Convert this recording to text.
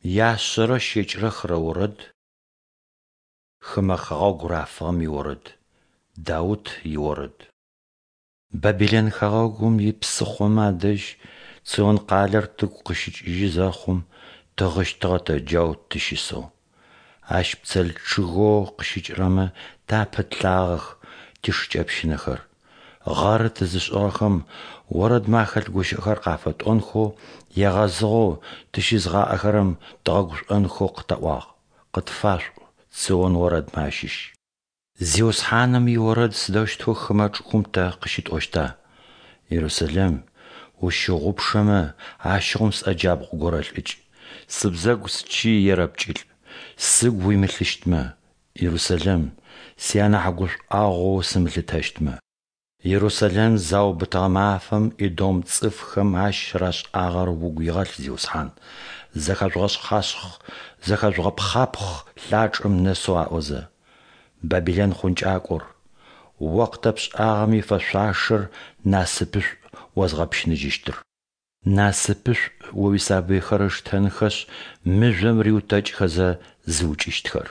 Яшъэрэ щэкӏрэ хырэ орэд. Хымэ хэгъэгу рафыгъэм иорэд. Даут иорэд. Бабилэн хэгъэгум ипсыхъомэ адэжь Цион къалэр тыгу къыщыкӏыжьы зэхъум, тыгъыщтыгъэ тэ джау тыщысэу. Ащ пцел чъыгэу къыщыкӏырэмэ тэ апытлъагъэх тишыкӏэпщынэхэр. Гъэры тызышӏыгъэхэм орэдмэ ахэлъ гущыӏэхэр къафэтӏонхэу, егъэзыгъэу тыщызыгъаӏэхэрэм дгъэгушӏонхэу къытаӏуагъ: «Къытфашъуӏу цион орэдмэ ащыщ». Зиусхьаным иорэд сыдэущтэу хымэ чӏыгум тэ къыщытӏощта? Ерусэлэм, усщыгъупшэмэ, ащыгъум сӏэ джабгъу горэлӏыкӏ, сыбзэгу счый ерэпкӏылӏ, сыгу уимылъыщтмэ, Ерусэлэм, сианахь гушӏуагъоу усымылъытэщтмэ. Ерусэлэм заубытыгъэ мафэм Эдом цӏыфхэм ащ рашӏагъэр угу игъэлъ, Зиусхьан, зэхэжъугъэшъхъашъхъ, зэхэжъугъэпхъапхъ лъачӏэм нэсэу аӏозэ. Бабилэн хъункӏакӏор, о къытэпшӏагъэм ифэшъуашэр насыпышӏу озгъэпщыныжьыщтыр. Насыпышӏу о уисабыйхэр ыштэнхэшъ мыжъом риутэкӏхэзэ зыукӏыщтхэр.